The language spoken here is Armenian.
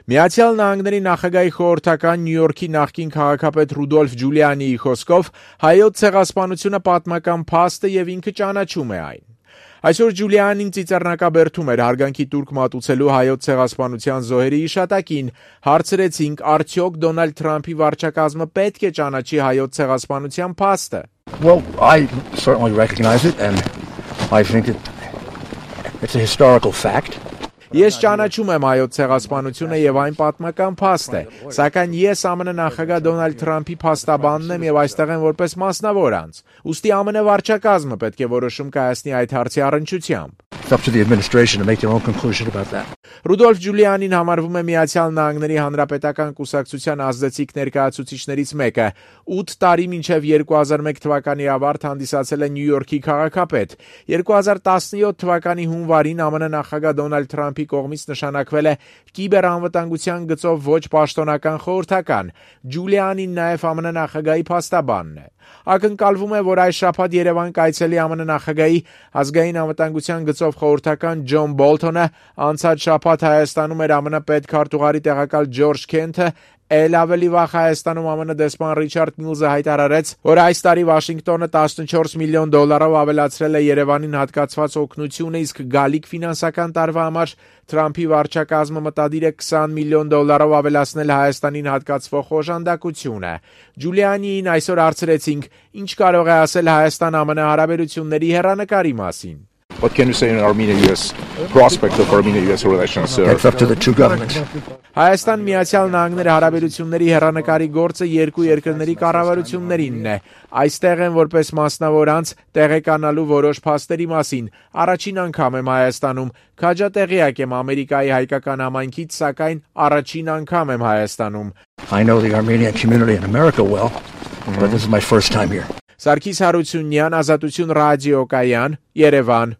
Միացյալ Նահանգների նախագահի խորհրդական Նյու Յորքի նախկին քաղաքապետ Ռուդոլֆ Ջուլիանիի խոսքով հայոց ցեղասպանությունը պատմական փաստ է եւ ինքը ճանաչում է այն։ Այսօր Ջուլիանին ծիծեռնակաբերդում էր հարգանքի տուրք մատուցելու հայոց ցեղասպանության զոհերի հիշատակին, հարցրեցինք, արդյոք Դոնալդ Թրամփի վարչակազմը պետք է ճանաչի հայոց ցեղասպանության փաստը։ Well, I certainly recognize it and I think it's a historical fact. Ես ճանաչում եմ հայոց ցեղասպանությունը եւ այն պատմական փաստ է, սակայն ես ԱՄՆ նախագահ Դոնալդ Թրամփի փաստաբանն եմ եւ այստեղ եմ որպես մասնավոր անձ։ Ուստի ԱՄՆ վարչակազմը պետք է որոշում կայացնի այդ հարցի առնչությամբ։ It's up to the administration to make their own conclusion about that. Ռուդոլֆ Ջուլիանին համարվում է Միացյալ Նահանգների Հանրապետական կուսակցության ազդեցիկ ներկայացուցիչներից մեկը։ 8 տարի մինչև 2001 թվականի ավարտ հանդիսացել է Նյու Յորքի քաղաքապետ։ 2017 թվականի հունվարին ԱՄՆ նախագահ Դոնալդ Թրամփի կողմից նշանակվել է կիբերանվտանգության գծով ոչ պաշտոնական խորհրդական։ Ջուլիանին նաև ԱՄՆ նախագահի փաստաբանն է։ Ակնկալվում է, որ այս շաբաթ Երևան կայցելի ԱՄՆ նախագահի ազգային անվտանգության գծով խորհրդական Ջոն Բոլթոնը, անցած շաբաթ Հայաստանում էր ԱՄՆ պետքարտուղարի տեղակալ Ջորջ Քենթը, ավելի վաղ Հայաստանում ԱՄՆ դեսպան Ռիչարդ Միլզը հայտարարեց, որ այս տարի Վաշինգտոնը $14 միլիոն ավելացրել է Երևանին հատկացված օգնությունը, իսկ գալիք ֆինանսական տարվա համար Թրամփի վարչակազմը մտադիր է $20 միլիոն ավելացնել Հայաստանին հատկացվող օժանդակությունը։ Ջուլիանիին այսօր հարցրեցինք, ինչ կարող է ասել Հայաստան-ԱՄՆ հարաբերությունների հեռանկարի մասին։ What can you say in Armenia-US prospect of Armenia-US relations? It's up to the two governments. Հայաստան-Միացյալ Նահանգների հարաբերությունների հեռանկարի գործը երկու երկրների կառավարություններինն է։ Այստեղ են որպես մասնավոր անձ տեղեկանալու որոշ փաստերի մասին։ Առաջին անգամ եմ Հայաստանում, քաջատեղյակ եմ Ամերիկայի հայկական համայնքից, սակայն առաջին անգամ եմ Հայաստանում։ I know the Armenian community in America well, but this is my first time here. Սարգիս Հարությունյան, Ազատություն ռադիոկայան, Երևան։